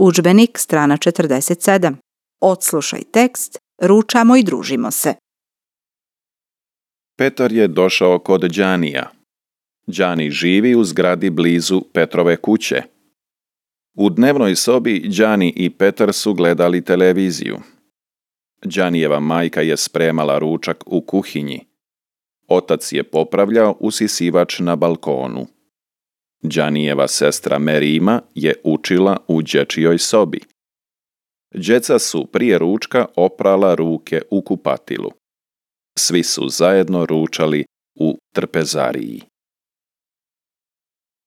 Udžbenik, strana 47. Odslušaj tekst, ručamo i družimo se. Petar je došao kod Đanija. Đani živi u zgradi blizu Petrove kuće. U dnevnoj sobi Đani i Petar su gledali televiziju. Đanijeva majka je spremala ručak u kuhinji. Otac je popravljao usisivač na balkonu. Đanijeva sestra Merima je učila u dječjoj sobi. Djeca su prije ručka oprala ruke u kupatilu. Svi su zajedno ručali u trpezariji.